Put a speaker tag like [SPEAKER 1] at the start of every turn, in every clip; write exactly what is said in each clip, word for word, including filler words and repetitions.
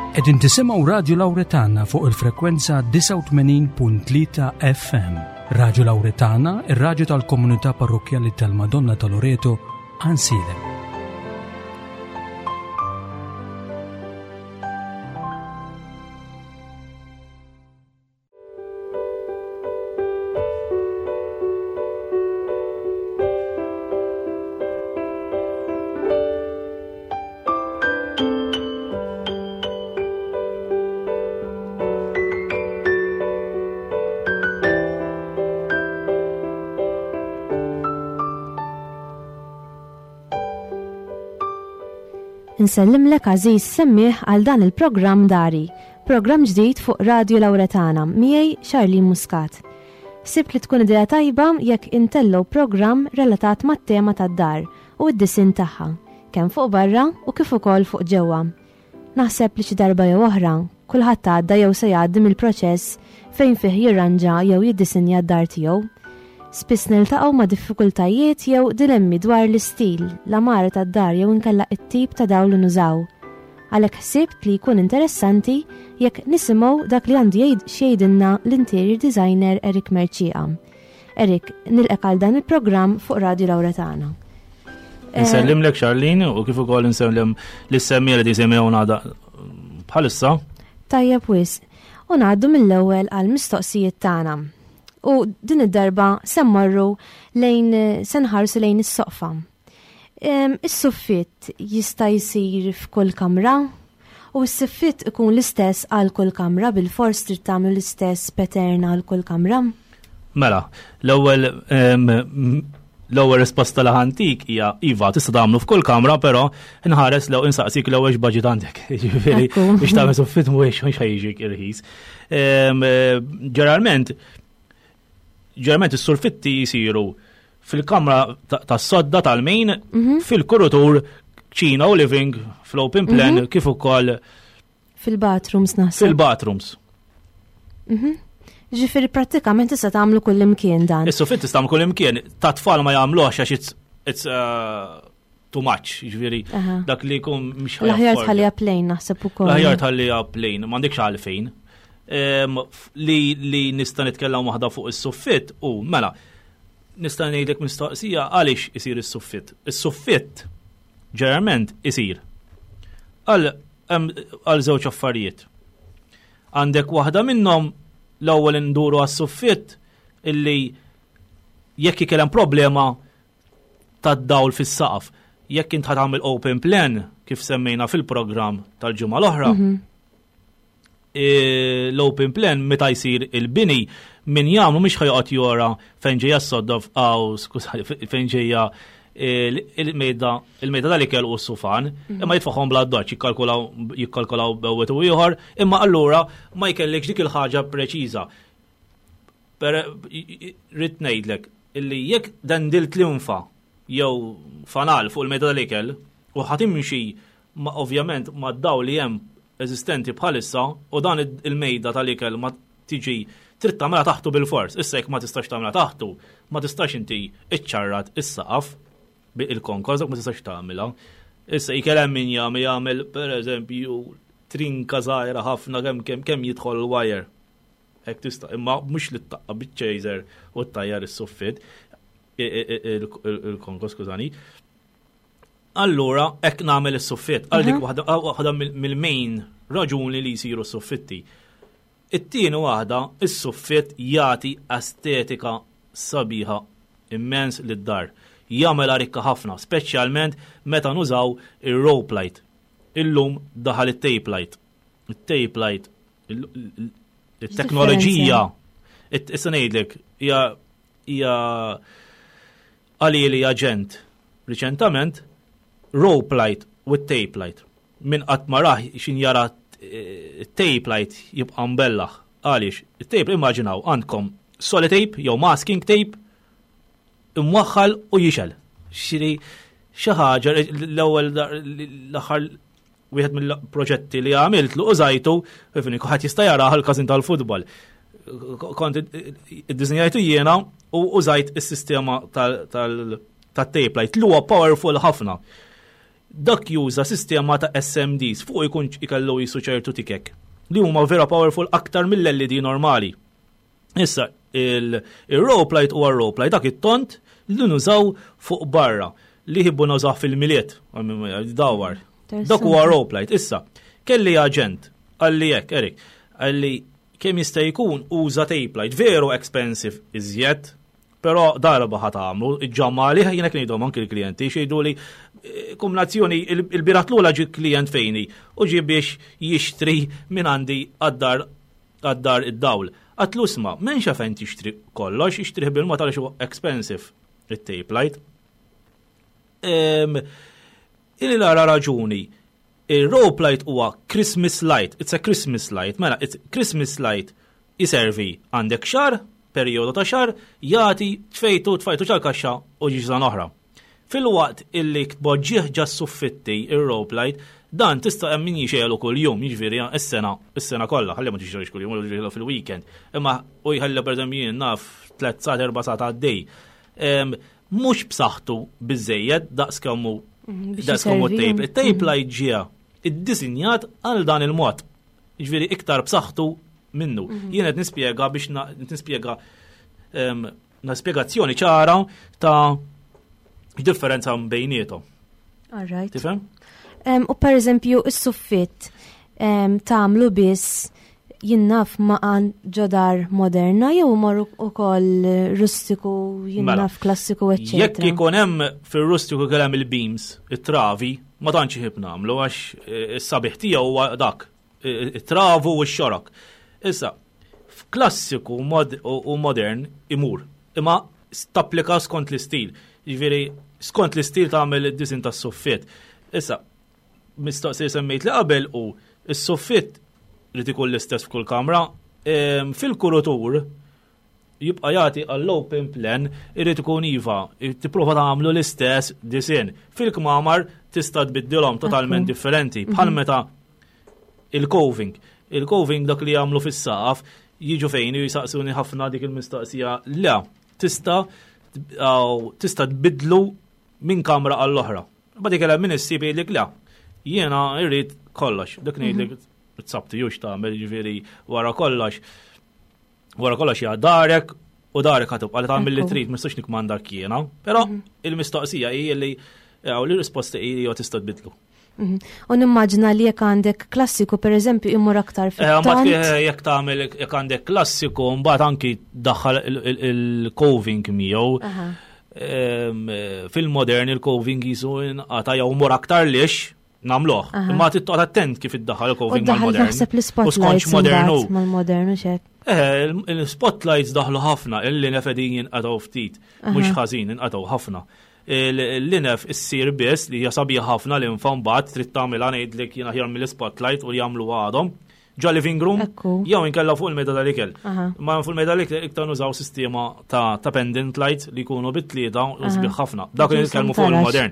[SPEAKER 1] Qegħdin tisimgħu Radio Lauretana fuq il-frekwenza disgħa u tmenin punt tlieta F M. Radio Lauretana, ir-raġu tal-komunità parrokjali tal-Madonna ta' Loreto, Għajnsielem.
[SPEAKER 2] Insellimlek, għażiż semmiegħ, għal dan il-programm Dari, programm ġdid fuq Radio Lauretana, miegħi Charlene Muscat. Sibt li tkun idea tajba jekk intellgħu programm relatat mat-tema tad-dar u d-disinn tagħha, kemm fuq barra u kif ukoll fuq ġewwa. Naħseb li xi darba jew oħra, kulħadd għadda jew se jgħaddi mill-proċess fejn fih jirranġa jew jiddisinja d-dar tiegħu. Spiss niltaqgħu ma' diffikultajiet jew dilemmi dwar l-istil, l-għamara tad-dar jew inkella it-tip ta' dawl li nużaw. Għalhekk ħsibt li jkun interessanti jekk nisimgħu dak li għandu jgħid x'jgħidilna l-interior designer Eric Mercieca. Eric, nilqgħek għal dan il-programm fuq Radio Lauretana.
[SPEAKER 3] Eh, Nsellimlek, Charlene, u kif ukoll insellem lis-semmiegħa li jisimgħuna bħalissa.
[SPEAKER 2] Tajjeb wisq. U ngħaddu mill-ewwel għal mistoqsijiet tagħna. U din id-darba se mmorru lejn, se nħarsu lejn is-soqfa. Is-suffitt jista' jsir f'kull kamra u s-suffitt ikun l-istess għal kull kamra, bil-fors trid tagħmlu l-istess pattern għal kull kamra?
[SPEAKER 3] Mela, l-ewwel l-ewwel risposta li ħa ntik hija iva, tista' tagħmlu f'kull kamra, però nħares lew insaqsik l-ewwel x'baġit għandek. Ġifieri biex tagħmel suffitt mhuwiex mhux ħa jiġik irħis. Ġeneralment ġeneralment is-suffitti jisiru fil-kamra tas-sodda tal-main, mhm. fil-kurutur, kċina u living, fl-open plan, mhm. kif ukoll
[SPEAKER 2] fil-bathrooms naħseb.
[SPEAKER 3] Fil-bathrooms.
[SPEAKER 2] Mhm. Ġifieri prattikament tista' tagħmlu kull imkien dan.
[SPEAKER 3] Is-suffitt tista' tagħmlu kull imkien, ta' tfal ma jagħmluhx għax it's, it's uh, too much, ġifieri dak li jkun
[SPEAKER 2] mhux L-aħjar tħalliha plain naħseb ukoll.
[SPEAKER 3] L-aħjar tħalliha plain, m'għandekx għalfejn li li nista' nitkellem waħda fuq is-suffitt u mela nista' ngħidlek mistoqsija: għaliex isir is-suffitt? Is-suffitt ġeneralment isir għal għal żewġ affarijiet. Għandek waħda minnhom, l-ewwel induru għas-suffitt illi jekk ikellem problema tad-dawl fis-saqaf. Jekk int tagħmel open plan kif semmejna fil-programm tal-ġimgħa l-oħra, mm -hmm. E, l-open plan meta jsir il-bini, min jagħmlu mhux ħa joqgħod jora fejn ġejja s-sodda aw, skuża, fejn ġejja il-mejda il-mejda tal-ikel u s-sufan, mhm. imma jitfaħħom bla doċ, jikkalkulaw jikkalkulaw bejn u ieħor, imma allura ma jkellekx dik il-ħaġa preċiża. Per rrid ngħidlek illi jekk dendilt linfa jew fanal fuq il-mejda tal-ikel u ħa timxi ma ovvjament ma daw li hemm eżistenti bħalissa u dan il-mejda tal-ikel ma tiġi trid tagħmilha taħtu bil-fors. Issa jekk ma tistax tagħmilha taħtu, ma tistax inti iċċarrat is-saqaf il-konkos, ma tistax tagħmilha. Issa ikel hemm min jagħmel jagħmel pereżempju trinka żgħira ħafna kemm kemm kemm jidħol il-wire. Hekk tista', imma mhux li taqqa' biċ-chaser u ttajjar is-suffit il-konkos, skużani. Allura, hekk nagħmel is-suffitt, għal dik mhm. waħda mill-main raġuni li jsiru s-suffitti. It-tieni waħda, is-suffitt jagħti estetika sabiħa immens lid-dar. Jagħmel rikka ħafna, speċjalment meta nużaw ir-rope light. Illum daħal it-tape light. Il-tape light, il-teknoloġija, issa ngħidlek, hija hija għalili aġent riċentament rope light with tape light. Min qatt ma rah, xin jara eh, tape light jibqa' mbellaħ. Għaliex? Il-tape, immaġinaw għandkom tape jew masking tape imwaħħal u jixgħel. Xiri xi ħaġa l-ewwel l-aħħar wieħed mill-proġetti li għamilt lu użajtu, fini kulħadd jista' jara l-każin tal-futbol. Kont iddisinjajtu jiena u użajt is-sistema tal-tape light. Li huwa powerful ħafna. Dak juża sistema ta' S M Ds, fuq ikun ikellu jisu ċertu tikek li huma vera powerful, aktar mill-L E D normali. Issa, il-rope light huwa rope light, dak it-tont li nużaw fuq barra, li jħibbu nużaw fil-Milied, dawar. Dak huwa rope light. Issa, kelli aġent, qalli hekk, "Erik," qalli, "kemm jista' jkun uża tape light, veru expensive iżjed, però darba ħa tagħmlu, iġġammali." Jiena ngħidhom anki l-klijenti, xejdu li eh, kombinazzjoni. Il-bieraħ tlula ġi klient fejni u ġi biex jixtri minn għandi għad-dar għad-dar id-dawl. Għedtlu, "Isma', m'hemmx fejn tixtri kollox, ixtri bil-mod għaliex huwa expensive it-tape light." Ili lara raġuni, il-rope light huwa Christmas light, it's a Christmas light, mela, it's Christmas light jiservi għandek xahar, periodu ta' xahar, jagħti tfejtu, tfajtu ġol-kaxxa u ġiġa oħra. Fil-waqt illi tpoġġih ġo suffitti il-rope light, dan tista' hemm min jixegħlu kull jum, jiġifieri is-sena, is-sena kollha, ħalli ma tixegħlux kull jum, jixegħlu fil-weekend. Imma u jħalli, pereżempju, jien naf, tliet sigħat, erba' sigħat għaddej. Mhux b'saħħtu biżejjed daqs kemm hu
[SPEAKER 2] Mhm, biex
[SPEAKER 3] daqs kemm hu
[SPEAKER 2] jiservi.
[SPEAKER 3] tape. Il-tape light ġie iddisinjat għal dan il-mod. Jiġifieri iktar b'saħħtu minnu.
[SPEAKER 2] Mhm.
[SPEAKER 3] Jien qed nispjega biex na- nispjega em, na spjegazzjoni ċara ta' differenza bejniethom.
[SPEAKER 2] All right.
[SPEAKER 3] Tifhem?
[SPEAKER 2] Em, U per eżempju, is-suffitt em, tagħmlu biss, jien naf, ma' għan ġodar moderna jew morru ukoll rustiku,
[SPEAKER 3] Mela,
[SPEAKER 2] jien naf, klassiku,
[SPEAKER 3] jekk
[SPEAKER 2] eccetera?
[SPEAKER 3] ikun hemm fir-rustiku kellem il-beams, it-travi, ma tantx iħib nagħmlu għax eh, is-sabiħ tiegħu huwa dak, eh, it-travu u x-xorok. Issa, f'klassiku mod u u modern imur, imma tapplika skont l-istil. Jiġifieri skont l-istil tagħmel id-disin tas-suffitt. Issa, mistoqsija semmejt li qabel u is-suffitt li ikun l-istess f'kull kamra, em, fil-kurutur jibqa' jagħti għall-open plan, irid ikun iva, tipprova tagħmlu l-istess disin. Fil-kmamar tista' tbiddilhom totalment
[SPEAKER 2] Ekku.
[SPEAKER 3] differenti, bħal meta il-coving. Il-coving, dak li jagħmlu fis-saqaf, jiġu fejn jisaqsuni ħafna dik il-mistoqsija. Le, tista' aw, tista' tbidlu minn kamra għall-oħra. Ba dik hemm min issib jgħidlek, "Le, jiena irrid kollox." Dak ngħidlek, it's up to you x'tagħmel, jiġifieri wara kollox. Wara kollox hija darek u darek ħa tibqa' li tagħmel li
[SPEAKER 2] Ekku.
[SPEAKER 3] trid, ma nistax nikmandak jiena. Però il-mistoqsija hi li jew li risposta hi li tista' tbidlu.
[SPEAKER 2] Mhm. U nimmaġina li jekk għandek klassiku, per eżempju, imur aktar
[SPEAKER 3] Eh, Mbagħad
[SPEAKER 2] fit-tont.
[SPEAKER 3] eh, jekk tagħmel, jekk għandek klassiku, mbagħad anki daħħal il-coving miegħu.
[SPEAKER 2] Aha.
[SPEAKER 3] Em, eh, Fil-modern il-coving jisu inqata' jew mur aktar lix nagħmluh.
[SPEAKER 2] Aha.
[SPEAKER 3] Imma tittoqgħod attent kif iddaħħal
[SPEAKER 2] U
[SPEAKER 3] il-coving
[SPEAKER 2] daħal
[SPEAKER 3] mal-modern.
[SPEAKER 2] naħseb
[SPEAKER 3] U
[SPEAKER 2] l-spotlights
[SPEAKER 3] skontx modernu.
[SPEAKER 2] imbagħad mal-modernu xek.
[SPEAKER 3] Eh, il- il-spotlights daħlu ħafna, il-linef qegħdin jinqatgħu ftit, mhux ħażin, inqatgħu ħafna. Il-linef issir biss li hija sabiħ ħafna li mbagħad trid tagħmilha, ngħidlek jien, aħjar mill-spotlight u li jagħmlu għadhom. Ġo living room,
[SPEAKER 2] Ekku.
[SPEAKER 3] jew inkella fuq il-mejda tal-ikel.
[SPEAKER 2] Aha.
[SPEAKER 3] Ma fuq il-mejda tal-ikel iktar nużaw sistema ta' ta' pendant light li jkunu bit-tlieta u sbieħ ħafna. Dak li
[SPEAKER 2] Ġo
[SPEAKER 3] nitkellmu fuq
[SPEAKER 2] tarax.
[SPEAKER 3] il-modern.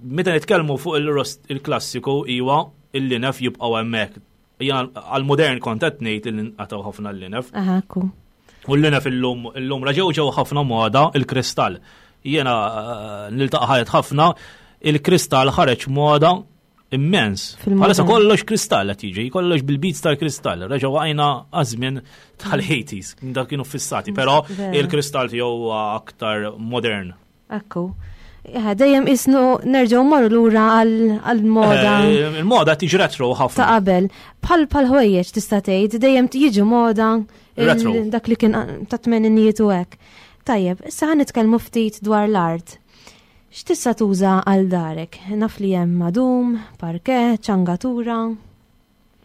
[SPEAKER 3] Meta nitkellmu fuq il-rost il-klassiku, iwa, il-linef jibqgħu hemmhekk. Jien għal-modern kont qed ngħid li nqatgħu ħafna l-linef.
[SPEAKER 2] Aha, ekku.
[SPEAKER 3] U l-linef illum illum raġew ġew ħafna moda il-kristall. Jiena eh, niltaqa' ħajet ħafna, il-kristall ħareġ moda immens.
[SPEAKER 2] Fil-modern.
[SPEAKER 3] Bħalissa kollox kristall qed jiġi, kollox bil-beads tal-kristall. Reġgħu għajna għażmien tal-eighties, dak kienu fissati, però
[SPEAKER 2] Vera.
[SPEAKER 3] il-kristall tiegħu huwa aktar modern.
[SPEAKER 2] Ekku. Ja, dejjem isnu nerġgħu morru lura għal-moda
[SPEAKER 3] Eh, Il-moda tiġi retro
[SPEAKER 2] ta'
[SPEAKER 3] ħafna.
[SPEAKER 2] qabel. Bħal bħal ħwejjeġ tista' tgħid dejjem jiġu moda il-
[SPEAKER 3] Retro.
[SPEAKER 2] dak li kien ta' tmeninijiet u hekk. Tajjeb, issa ħa nitkellmu ftit dwar l-art. X'tista' tuża għal darek? Naf li hemm madum, parke, ċangatura.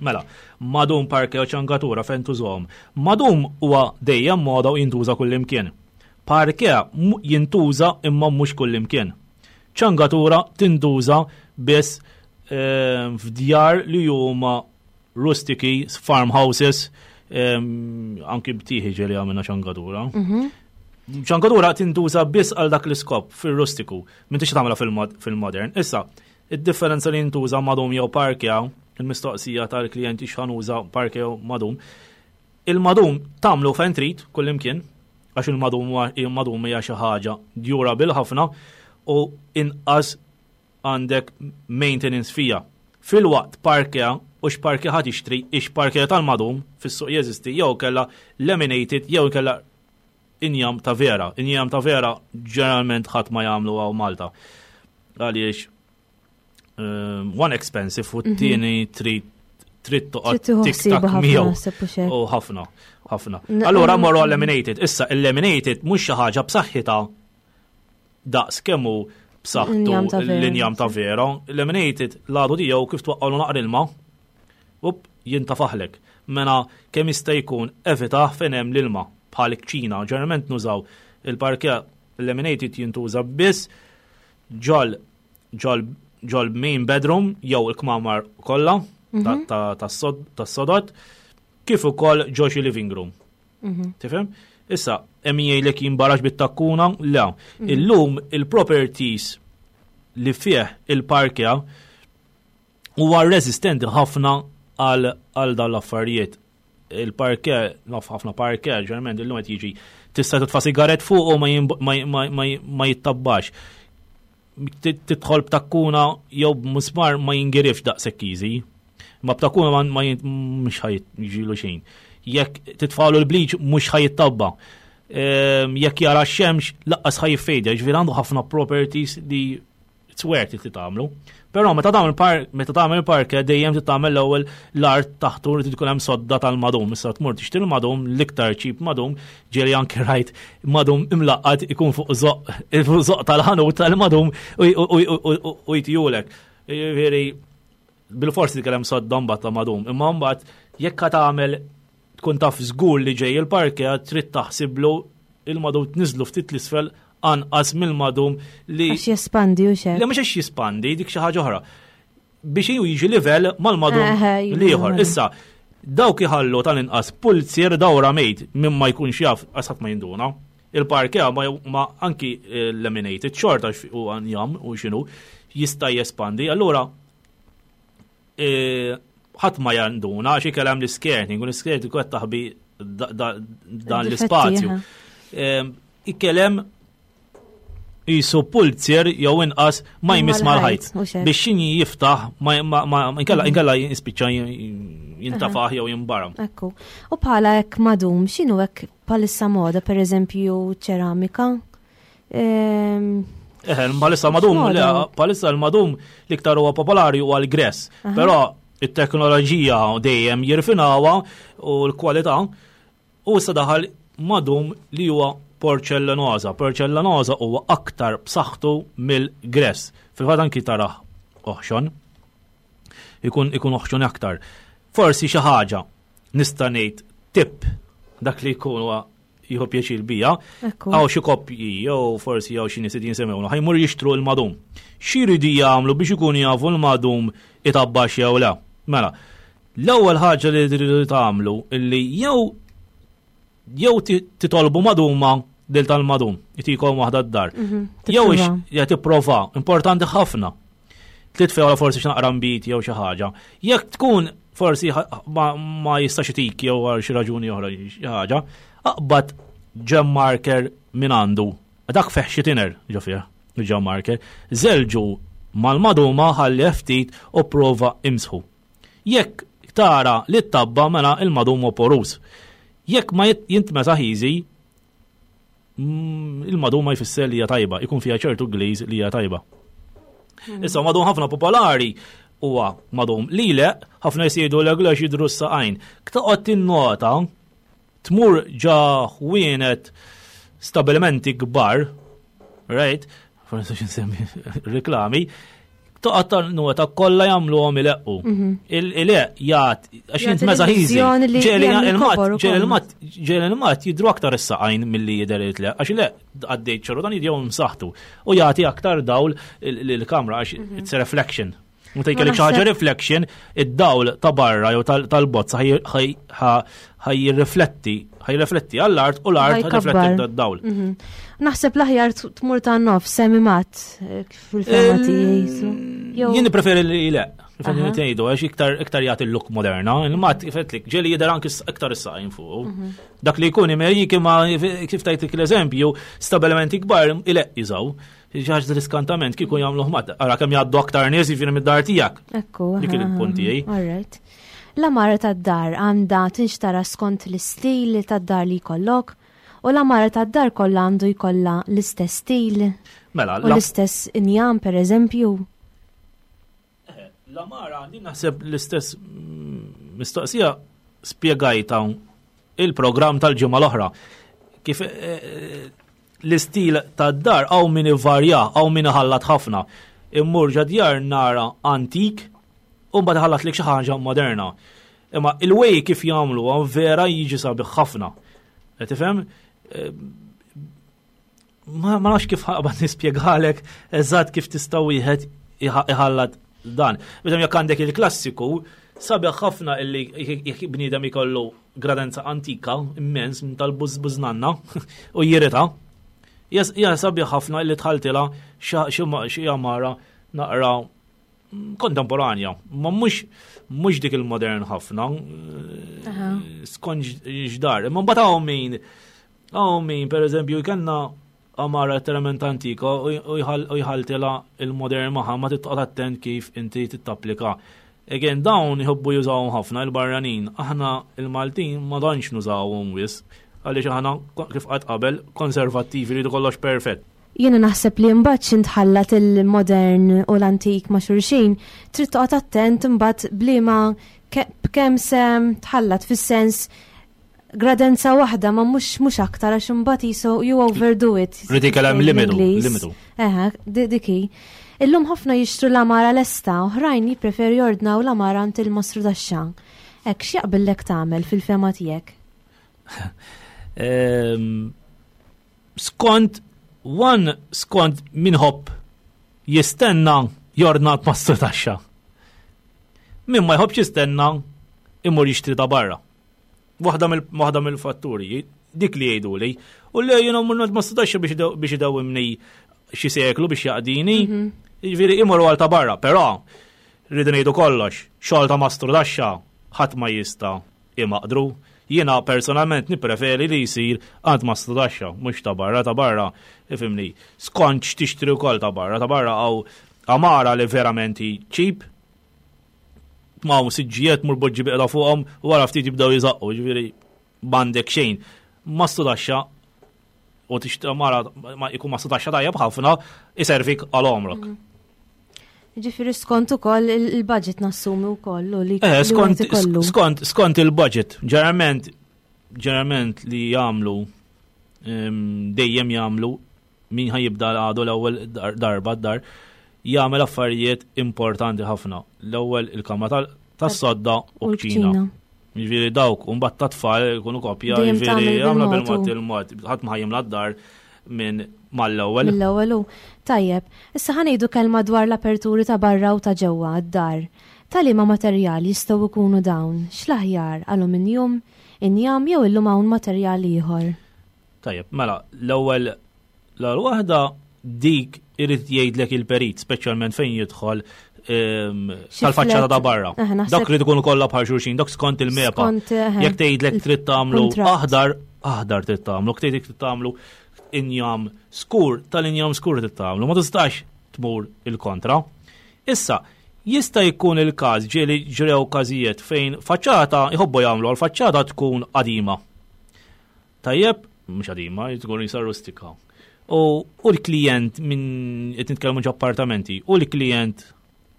[SPEAKER 3] Mela, madum, parke u ċangatura fejn tużhom. Madum huwa dejjem moda u jintuża kullimkien. Parke mu- jintuża imma mhux kullimkien. Ċangatura tintuża biss eh, f'djar li huma rustiki, farmhouses, em, anki btieħi ġeli għamilna ċangatura. Ċangatura tintuża biss għal dak l-iskop fil-rustiku, m'intix tagħmilha fil-mod- fil-modern. Issa, id-differenza li jintuża madum jew parke, il-mistoqsija tal-klijenti x'ħa nuża, parke jew madum. Il-madum tagħmlu fejn trid kullimkien, għax il-madum huwa- il-madum hija xi ħaġa durable ħafna u inqas għandek maintenance fija. Filwaqt parquet, u x'parquet ħa tixtri, ix parquet tal-madum fis-suq jeżisti, jew kella laminated, jew kella injam ta' vera. Injam ta' vera ġeneralment ħadd ma jagħmlu hawn Malta. Għaliex um, one expensive u t-tieni trid trid toqgħod
[SPEAKER 2] Trid tieħu
[SPEAKER 3] tik
[SPEAKER 2] ħsiebha
[SPEAKER 3] tak
[SPEAKER 2] ħafna
[SPEAKER 3] miegħu.
[SPEAKER 2] naħseb u xek.
[SPEAKER 3] U ħafna, ħafna.
[SPEAKER 2] N-
[SPEAKER 3] Allura
[SPEAKER 2] n-
[SPEAKER 3] morru laminated. Issa il-laminated mhux xi ħaġa b'saħħitha daqs kemm hu b'saħħtu
[SPEAKER 2] L-injam ta' vera.
[SPEAKER 3] l-injam ta' vera. Laminated l-għadu tiegħu kif twaqqalu naqra ilma, up jintafaħlek. Mela kemm jista' jkun evita fejn hemm l-ilma bħal kċina. Ġeneralment nużaw il-parquet laminated jintuża biss ġol ġol ġol main bedroom jew il-kmamar kollha ta- ta- tas-sod- tas-sodot kif ukoll ġo xi living room. Tifhem? Issa, hemm jgħidlek jimbarax bit-takkuna? Le. Illum il-properties li fih il-parquet huwa resistenti ħafna għal għal dawn l-affarijiet. Il-parquet, naf ħafna parquet, ġeneralment illum qed jiġi tista' titfa' sigaret fuq u ma jimb- ma- ma- ma- ma jittabbax. Tit- Tidħol b'takkuna jew b'musmar ma jingirifx daqshekk easy. Ma b'takkuna ma ma jin- mhux ħa jiġilu xejn. Jekk titfalu l-bleach mhux ħa jittabba. Ehm, Jekk jara x-xemx lanqas ħa jiffejdja, ġifieri għandu ħafna properties li it's worth it li tagħmlu. Però meta tagħmel par meta tagħmel parquet dejjem trid tagħmel l-ewwel l-art taħtu li tkun hemm sodda tal-madum. Issa tmur tixtri l-madum l-iktar cheap madum, ġieli anke rajt madum imlaqqat ikun fuq żoq fuq żoq tal-ħanut tal-madum u u- u- u- u jtijulek. Ġifieri bil-forsi tkellem sodda mbagħad ta' madum, imma mbagħad jekk ħa tagħmel tkun taf żgur li ġej il-parquet trid taħsiblu il-madum tniżlu ftit l-isfel anqas mill-madum li
[SPEAKER 2] Għax jespandi u xek.
[SPEAKER 3] Le mhux għax jispandi dik xi ħaġa oħra. Biex ju jiġi livell mal-madum
[SPEAKER 2] Eħe, jiġi
[SPEAKER 3] l-ieħor.
[SPEAKER 2] mal-madum.
[SPEAKER 3] Issa, dawk iħallu tal-inqas pulzier dawra mejt minn ma jkunx jaf għasat ma jinduna. Il-parquet ma, ma anki eh, laminated xorta u għanjam u xinu jista' jespandi. Allura eh, ħadd ma janduna għax ikellem l-skirting u l-skirting qed taħbi da- da- dan
[SPEAKER 2] Difetti,
[SPEAKER 3] l-ispazju.
[SPEAKER 2] aha.
[SPEAKER 3] Em, Ikellem jisu pulzier jew inqas ma jmiss mal-ħajt.
[SPEAKER 2] U xek.
[SPEAKER 3] Biex xini jiftaħ ma ma ma inkella inkella jispiċċa jintafaħ jew jimbaram.
[SPEAKER 2] Ekku. U bħala hekk madum, x'inhu hekk bħalissa moda, per eżempju ċeramika? Ehm,
[SPEAKER 3] Eħe, bħalissa madum,
[SPEAKER 2] X'moda?
[SPEAKER 3] le, bħalissa l-madum l-iktar huwa popolari huwa l-gress. Però it-teknoloġija dejjem jirfinawha u l-kwalità u issa daħal madum li huwa porċellanoza. Porċellanoza huwa aktar b'saħħtu mill-gress. Fil-fatt anki taraħ oħxon. Ikun ikun oħxon aktar. Forsi xi ħaġa nista' ngħid tip dak li jkun huwa jieħu pjaċir bija.
[SPEAKER 2] Ekku.
[SPEAKER 3] Għaw xi koppji jew forsi jew xi nies jinsemmewna ħa jmur jixtru l-madum. X'iridu jagħmlu biex ikunu jafu l-madum itabbax jew le? Mela, l-ewwel ħaġa li tridu tagħmlu illi jew jew ti- titolbu maduma lil tal-madum, itikom waħda d-dar.
[SPEAKER 2] Mhm,
[SPEAKER 3] Jew ix
[SPEAKER 2] tipprova.
[SPEAKER 3] ja tipprova, importanti ħafna. Titfew forsi x'naqra mbit jew xi ħaġa. Jekk tkun forsi ħa- ma, ma jistax itik jew għal xi raġuni oħra xi ħaġa, aqbad gem marker minn għandu. Dak fih xi tiner ġo fih, il-gem marker. Żelġu mal-maduma ħalli ftit u prova imsħu. Jekk tara li t-tabba mela il-madum huwa porus. Jekk ma jit- jintmesaħ easy, mm, il-madum ma jfisser li hija tajba, ikun fiha ċertu glaze li hija tajba. Issa madum ħafna popolari huwa madum li le ħafna jsidu l glax jidru s-saqajn. Ktaqgħod tinnota tmur ġa ħwienet stabilimenti kbar, right? Forsi nsemmi reklami, toqgħod nota kollha jagħmluhom ileqqu. Il-ileq jgħat għax
[SPEAKER 2] Jagħti
[SPEAKER 3] jintmeża ħiżi.
[SPEAKER 2] l-illużjoni li
[SPEAKER 3] Ġieli
[SPEAKER 2] hemm
[SPEAKER 3] il-mat,
[SPEAKER 2] il-kobor
[SPEAKER 3] ġieli
[SPEAKER 2] ukoll.
[SPEAKER 3] il-mat, ġieli il-mat jidru aktar is-saqajn milli jidher it-tleq, għax le għaddejt ċorru dan jidjew msaħtu u jagħti aktar dawl l-kamra għax it's a reflection. Meta jkollek xi ħaġa
[SPEAKER 2] naħseb-
[SPEAKER 3] reflection, id-dawl ta' barra jew tal- tal-bozza ħaj jirrifletti, ħaj jirrifletti għall-art u l-art ħaj
[SPEAKER 2] Ħajkabbar.
[SPEAKER 3] jirrifletti d-dawl.
[SPEAKER 2] Mhm. Naħseb l-aħjar t- tmur ta' nof, semi mat, eh, kif il-fema tiegħi jisu. Jew-
[SPEAKER 3] Jien preferi li le, preferi
[SPEAKER 2] Aha.
[SPEAKER 3] li tgħidu għax iktar iktar jagħti l-look moderna, il-mat kif qedtlik ġieli jidher anki s- iktar is-saqajn fuq.
[SPEAKER 2] Mhm.
[SPEAKER 3] Dak li jkun imejjik imma kif tajtik l-eżempju, stabilimenti kbar ileq jiżaw. Xi ħaġa riskantament kieku jagħmluh mat. Ara kemm jgħaddu aktar nies jiġifieri mid-dar tiegħek.
[SPEAKER 2] Ekku.
[SPEAKER 3] Dik il-punt tiegħi.
[SPEAKER 2] All right. L-għamara tad-dar għandha tinxtara skont l-istil tad-dar li jkollok u l-għamara tad-dar kollha għandu jkollha l-istess stil
[SPEAKER 3] Mela,
[SPEAKER 2] u l-istess injam per eżempju.
[SPEAKER 3] L-għamara għandi naħseb l-istess mm, mistoqsija spjegajta il-programm tal-ġimgħa l-oħra. Kif eh, l-istil tad-dar hawn min ivarja, hawn min iħallat ħafna. Immur ġo djar nara antik u mbagħad ħallat lek xi ħaġa moderna. Imma il-way kif jagħmlu vera jiġi sabiħ ħafna. Qed Tifhem? Eh, Ma ma nafx kif ħaqbad nispjegalek eżatt kif tista' wieħed iħallat dan. Bidem jekk għandek il-klassiku, sabiħ ħafna illi jekk bniedem ikollu gradenza antika immens minn tal-bużbużnanna u jirita. Ja sabiħ ħafna illi tħaltila xi għamara naqra kontemporanja, ma mhux mhux dik il-modern ħafna, skont x'dar. Imma mbagħad hawn min hawn min pereżempju jkollna għamara letteralment antika u jħaltila il-modern magħha ma titqgħod attent kif inti tittapplika. Again, dawn jħobbu jużawhom ħafna il-barranin, aħna il-Maltin ma tantx nużawhom wisq, għaliex aħna kif qatt qabel konservattivi li kollox perfett.
[SPEAKER 2] Jiena naħseb li mbagħad xi tħallat il-modern u l-antik ma' xulxin, trid toqgħod attent imbagħad bliema b'kemm se tħallat fis-sens gradenza waħda ma mhux mhux aktar għax imbagħad jisu you overdo it.
[SPEAKER 3] Rrid ikellem limitu, limitu.
[SPEAKER 2] Eħe, diki. Illum ħafna jixtru l-għamara lesta, oħrajn jippreferu jordnaw l-għamara għand il-mastru taxxa. Ek, x'jaqbillek tagħmel fil-fehma tiegħek?
[SPEAKER 3] Ehm, skont, one skont min iħobb jistenna jordna mastru taxxa. Min ma jħobbx jistenna imur jixtri ta' barra. Waħda mill-fatturi, dik li jgħidu li, u li jiena mmur mastru taxxa biex idewwimni xi seklu biex jaqdini, mhm. jiġifieri imorru għal ta' barra, però rridu ngħidu kollox, xogħol ta' mastru taxxa ħadd ma jista' imaqdru. Jiena personalment nippreferi li jsir għand mastru taxxa, mhux ta' barra, ta' barra, ifhimni, skont x'tixtri wkoll ta' barra, ta' barra hawn għamara li verament cheap, ma' siġġijiet mur poġġi bilqiegħda fuqhom u wara ftit jibdew jiżaqqu, ġifieri m'għandek xejn. Mastru taxxa u tixtri għamara ma jkun mastru taxxa tajjeb ħafna iservik għal għomrok.
[SPEAKER 2] Mm. Ġifieri skont ukoll il-budget nassumi wkoll u li
[SPEAKER 3] eh, skont skont skont il-budget, ġeneralment ġeneralment li jagħmlu dejjem jagħmlu min ħa jibda għadu l-ewwel darba d-dar jagħmel affarijiet importanti ħafna. L-ewwel il-kamra tas-sodda u kċina. Ġifieri dawk, u mbagħad tat-tfal jkunu kopja, ġifieri jagħmlu bil-mod il-mod, ħadd ma ħa jimla d-dar minn mal-ewwel.
[SPEAKER 2] Mill-ewwel u tajjeb. Issa ħa ngħidu kelma dwar l-aperturi ta' barra u ta' ġewwa għad-dar. Ta' liema materjal jistgħu jkunu dawn? X'l-aħjar aluminium, injam jew illum hawn materjal ieħor?
[SPEAKER 3] Tajjeb, mela, l-ewwel l-waħda dik irid jgħidlek il-perit, speċjalment fejn jidħol tal-faċċata ta' barra. Dak li tkun kollha bħal xulxin, dak skont il-MEPA. Jekk tgħidlek trid tagħmlu aħdar, aħdar trid tagħmlu, tgħidlek trid tagħmlu injam skur, tal-injam skur trid tagħmlu, ma tistax tmur il-kontra. Issa, jista' jkun il-każ ġieli ġrew każijiet fejn faċċata jħobbu jagħmlu għal faċċata tkun qadima. Tajjeb, mhux qadima, tkun jisar rustika. U l-klient minn qed nitkellmu appartamenti, u l-klient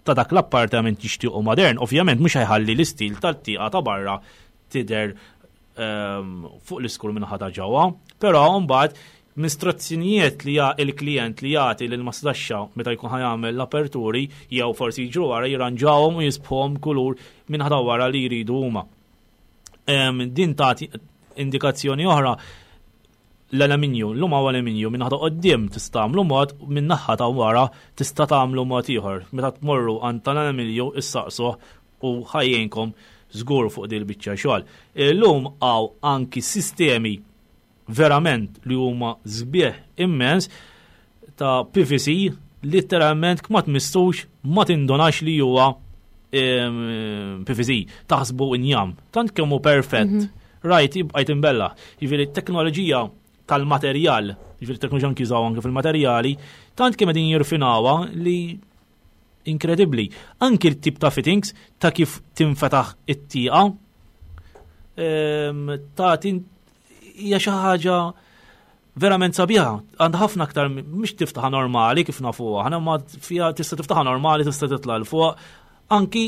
[SPEAKER 3] ta' dak l-appartament jixtiequ modern, ovvjament mhux ħa jħalli l-istil tal-tieqa ta' barra tidher ehm, fuq l-iskur minn ħata ġewwa, però mbagħad b'istruzzjonijiet li il-klient li jagħti lil mastaxxa meta jkun ħa jagħmel l-aperturi jew forsi jiġru wara jirranġawhom u jiżbgħuhom kulur minn ħata wara li jridu huma. Ehm, din tagħti indikazzjoni oħra l-alluminju, l-lum hawn alluminju minn naħa quddiem tista' tagħmlu mod, minn naħa ta' wara tista' tagħmlu mod ieħor. Meta tmorru għand tal-alluminju issaqsuh u ħa jgħinkom żgur fuq din il-biċċa xogħol. Illum hawn anki sistemi verament li huma sbieħ immens ta' P V C, literalment ma tmissux ma tindunax li huwa P V C, taħsbu injam. Tant kemm hu perfett. Mhm. Right, jibqa' jimbella. Jiġifieri t-teknoloġija tal-materjal, ġifieri teknoloġija anki jużaw anke fil-materjali, tant kemm qegħdin jirfinawha li inkredibbli. Anki l-tip ta' fittings ta' kif tinfetaħ it-tieqa ehm, ta' hija xi ħaġa verament sabiħa. Għandha ħafna aktar, mhix tiftaħa normali kif nafu aħna, ma fiha tista' tiftaħa normali, tista' titla' 'l fuq. Anki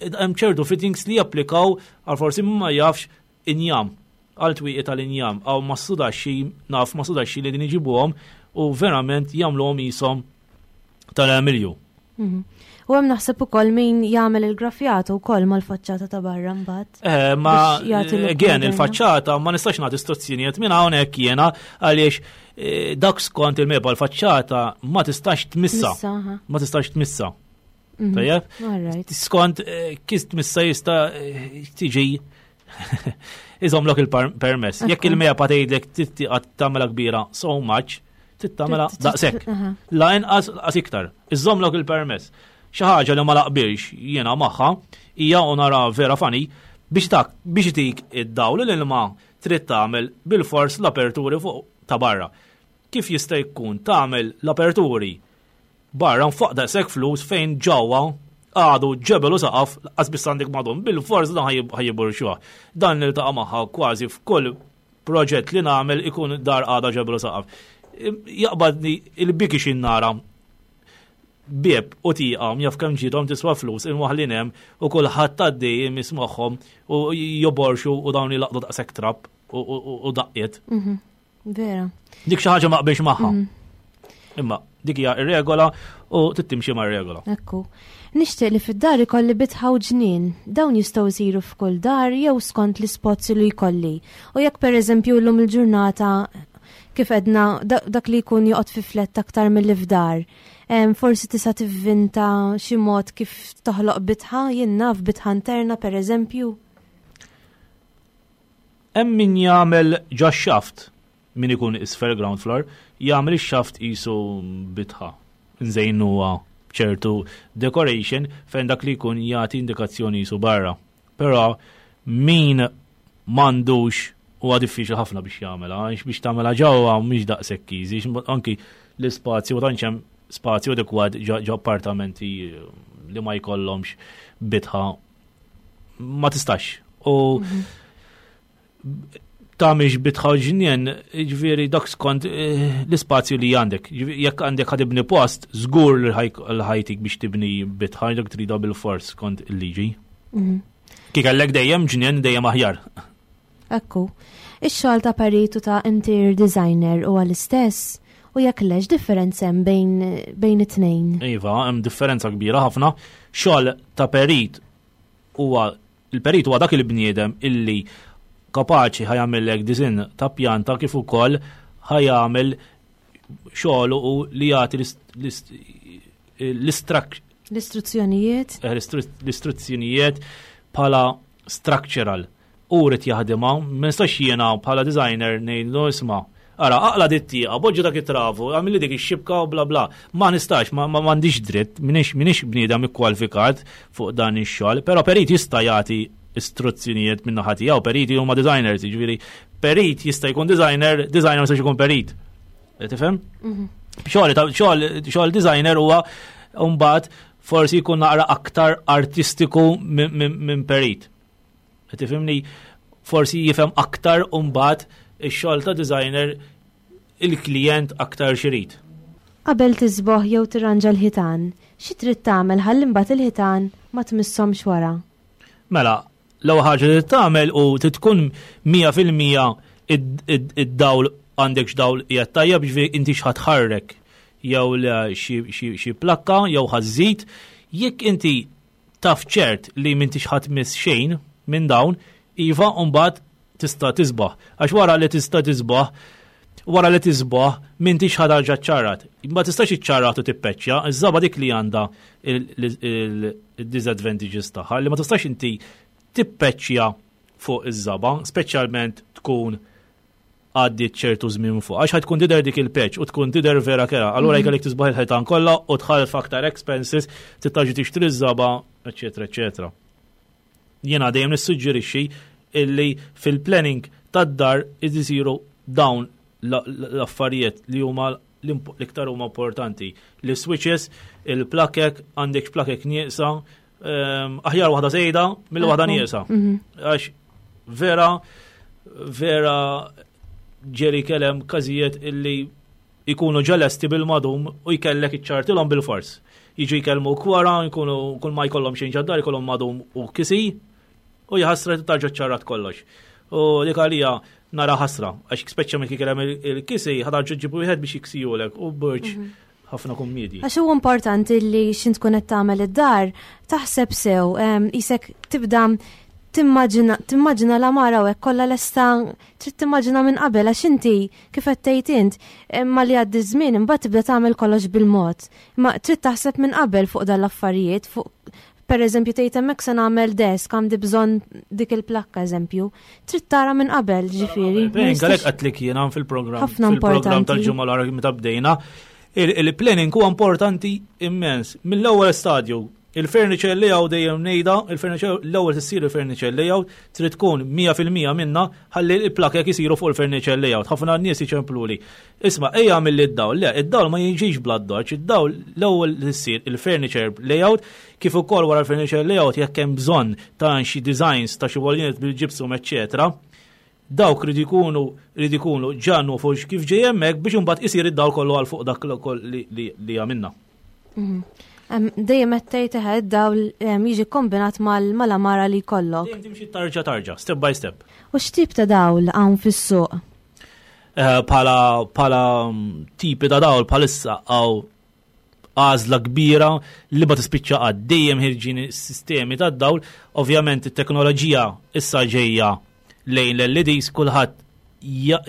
[SPEAKER 3] hemm ċertu fittings li japplikaw għal forsi ma jafx injam, għal twieqi tal-injam, għaw ma sudaxxi, naf ma sudaxxi li din iġibuhom u verament jagħmluhom qishom tal-Emilju.
[SPEAKER 2] Mhm. U hemm naħseb ukoll min jagħmel il-grafjata wkoll mal-faċċata ta' barra mbagħad.
[SPEAKER 3] Eh, ma again il-faċċata ma nistax nagħti istruzzjonijiet minn hawnhekk jiena għaliex eh, dak skont il-MEPA l-faċċata ma tistax tmissa. Ma tistax tmissa. Mhm. Tajjeb? Skont eh, kif tmissa jista' tiġi iżomlok il-permess. Jekk il-MEPA tgħidlek tagħmilha kbira so much, tittamela daqshekk. La inqas lanqas iktar. Iżomlok il-permess. Xi ħaġa li ma laqbilx jiena magħha hija u nara vera funny biex tak biex tik id-dawl l-ilma trid tagħmel bil-fors l-aperturi fuq ta' barra. Kif jista' jkun tagħmel l-aperturi barra fuq daqshekk flus fejn ġewwa għadu ġebel u saqaf qas biss għandek madum bil-fors dan ħa jborxuha? Dan niltaqa' magħha kważi f'kull proġett li nagħmel, ikun dar għada ġebel u saqaf. Jaqbadni il-biki xin nara bieb u tieqa jaf kemm ġidhom tiswa flus imwaħlin hemm u kulħadd għaddej mismagħhom u joborxu u dawn jilaqdu daqshekk trab u daqqiet.
[SPEAKER 2] Mhm. Vera.
[SPEAKER 3] Dik xi ħaġa ma qbilx magħha. Mhm. Imma dik hija ir-regola u tittimxi mar-regola.
[SPEAKER 2] Ekku. Nixtieq li fid-dar ikolli bitħa u ġnien. Dawn jistgħu jsiru f'kull dar jew skont l-ispozzi li jkolli? U jekk, pereżempju, llum il-ġurnata, kif edna, dak li jkun joqgħod fi flat aktar milli f'dar, forsi tista' tivvinta xi mod kif toħloq bitħa, jien naf, bitħa interna, pereżempju?
[SPEAKER 3] Hemm min jagħmel ġo shaft, min ikun isfel ground floor, jagħmel ix-shaft qisu bitħa. Nżejnuha ċertu decoration fejn dak li jkun jagħti indikazzjoni qisu barra. Però min m'għandux huwa diffiċli ħafna biex jagħmilha, għax biex tagħmilha ġewwa mhix daqshekk easy, anki l-ispazju, ma tantx hemm spazju adekwat ġo appartamenti li ma jkollhomx bitħa, ma tistax. U mhm. tagħmilx bitħa ġnien, ġifieri dak skont eh, l-ispazju li għandek. Jekk għandek ħa tibni post, żgur li ħa jtik biex tibni bitħa, dak trida bil-fors skont il-liġi. Mhm. Kif kellek dejjem ġnien, dejjem aħjar.
[SPEAKER 2] Ekku. Ix-xogħol ta' peritu ta' interior designer huwa l-istess, u jekk le, x'differenza hemm bejn bejn it-tnejn?
[SPEAKER 3] Iva, hemm differenza kbira ħafna. Xogħol ta' perit huwa, il-perit huwa dak il-bniedem illi kapaċi ħa jagħmellek design ta' pjanta kif ukoll ħa jagħmel xogħol u li jagħti l-istrak
[SPEAKER 2] L-istruzzjonijiet.
[SPEAKER 3] Eh, l-istruzzjonijiet bħala structural. U rrid jaħdimha, ma nistax jiena bħala designer ngħidlu, "Isma', ara, aqla' dit-tieqa, poġġi dak it-travu, għamilli dik ix-xibka" u bla bla. Ma nistax, ma m'għandix dritt, minix minix bniedem ikkwalifikat fuq dan ix-xogħol, però perit jista' jagħti istruzzjonijiet minn naħa tiegħu, periti huma designers, jiġifieri perit jista' jkun designer, designer ma jistax ikun perit. Tifhem? Mhm. Xogħol xogħol designer huwa mbagħad forsi jkun naqra aktar artistiku minn perit. Tifhimni, forsi jifhem aktar mbagħad ix-xogħol ta' designer il-klient aktar x'irid.
[SPEAKER 2] Qabel tiżbogħ jew tirranġa l-ħitan, xi trid tagħmel ħalli mbagħad il-ħitan ma tmisshomx wara?
[SPEAKER 3] Mela, l-ewwel ħaġa li tagħmel u tkun mija fil-mija id-dawl għandek, x'dawl qiegħed tajjeb, ġifieri inti x'ħa tħarrek jew xi plakka jew ħa żżid. Jekk inti taf ċert li m'intix ħa tmiss xejn minn dawn, iva, mbagħad tista' tiżbogħ. Għax wara li tista' tiżbogħ, wara li tiżbogħ, m'intix ħa terġa' ċċarrat. Ma tistax iċċarrat u tippeċċja, iż-żaba dik li għandha il-disadvantages tagħha li ma tistax inti tippeċċja fuq iż-żaba, speċjalment tkun għaddiet ċertu żmien fuq. Għax tkun tidher dik il-patch u tkun tidher vera kerha. Allura mhm. jkollek tiżbogħ il-ħitan kollha u tħalli aktar expenses, tittaġi tixtri ż-żaba, eċetera, eċetera. Jiena dejjem nissuġġerixxi illi fil-planning tad-dar isiru dawn L-affarijiet li huma l-iktar huma importanti. L-switches, il-plakek, għandek plakek nieqsa, ehm, aħjar waħda żejda mill waħda nieqsa. Mhm. Għax vera, vera ġeri kellem każijiet illi jkunu ġalesti bil-madum u jkellek iċċartilhom bil-fors. Jiġu jkellmu kwara, jkunu kull ma jkollhom xejn ġaddar, jkollhom madum u kisi, u jħassra tarġa ċarrat kollox. U dik għalija nara ħasra, għax speċa minn kikellem il-kisi, ħadarġu ġibu wieħed biex jiksijulek u burġ mhm. ħafna kummedji.
[SPEAKER 2] Għax huwa importanti li x'int tkun qed tagħmel id-dar, taħseb sew, isek tibda timmaġina timmaġina l-għamara u hekk kollha lesta, trid timmaġina minn qabel, għax inti kif qed tgħid int, imma li għaddi żmien imbagħad tibda tagħmel kollox bil-mod. Ma trid taħseb minn qabel fuq dan l-affarijiet, fuq per eżempju tgħid hemmhekk se nagħmel desk, għandi bżonn dik il-plakka eżempju. Trid tara minn qabel, ġifieri.
[SPEAKER 3] Għalhekk għedtlek jiena fil-programm fil-programm tal-ġimgħa l meta bdejna. Il-planning huwa importanti immens. Mill-ewwel stadju, il-furniture layout dejjem ngħidha, il-furniture l-ewwel tissir il-furniture layout trid tkun mija fil-mija minna ħalli l-plakek isiru fuq il-furniture layout. Ħafna nies iċempluli. "Isma', ejja mill id-dawl." Le, id-dawl ma jiġix bla doċ, id-dawl l-ewwel issir il-furniture layout, kif ukoll wara l-furniture layout jekk hemm bżonn ta' xi designs ta' xi wall unit bil-gypsum, eċċetera, dawk rridu jkunu rridu jkunu ġannu fuq kif ġej hemmhekk biex imbagħad isir id-dawl kollu għal fuq dak li li għamilna.
[SPEAKER 2] Mhm. Dejjem qed tgħid eħe id-dawl jiġi kombinat mal-għamara li jkollok.
[SPEAKER 3] Dejjem timxi tarġa tarġa, step by step.
[SPEAKER 2] U x'tip ta' dawl hawn fis-suq?
[SPEAKER 3] Eh, Pala pala mm, tipi ta' dawl palissa għaw għażla kbira li ma tispiċċa għad, dejjem ħirġin sistemi ta' dawl. Ovvjament it-teknoloġija issa ġejja lejn l-L E Ds, kulħadd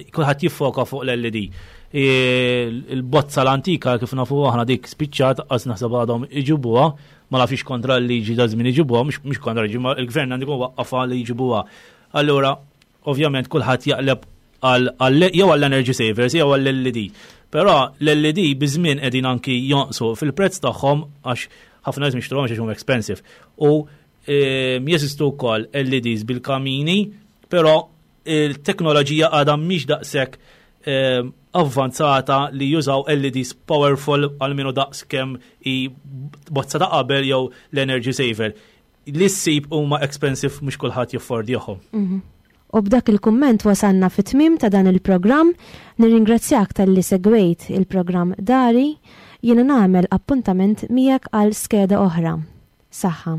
[SPEAKER 3] kulħadd jiffoka fuq l-L E D. Il-bozza l-antika kif nafu aħna dik spiċċat, għax naħseb għadhom iġibuha, ma nafx kontra l-liġi da żmien iġibuha, mhux kontra l-liġi, ma il-gvern għandu waqqafa li jġibuha. Allura, ovvjament kulħadd jaqleb jew għall-energy savers jew għall-L E D. Però l-L E D biż-żmien qegħdin anki jonqsu fil-prezz tagħhom għax ħafna nies mixtruhom għax huma expensive. U jeżistu wkoll L E Ds bil-kamini, però il-teknoloġija għadha mhix daqshekk avvanzata li jużaw L E Ds powerful għal daqs kemm i bozza ta' qabel jew l-energy saver. Li ssib huma expensive, mhux kulħadd jaffordjahom.
[SPEAKER 2] Mhm. U b'dak il-kumment wasanna fit-tmim ta' dan il-programm. Nirringrazzjak talli segwejt il-programm Dari, jiena nagħmel appuntament miegħek għal skeda oħra. Saħħa.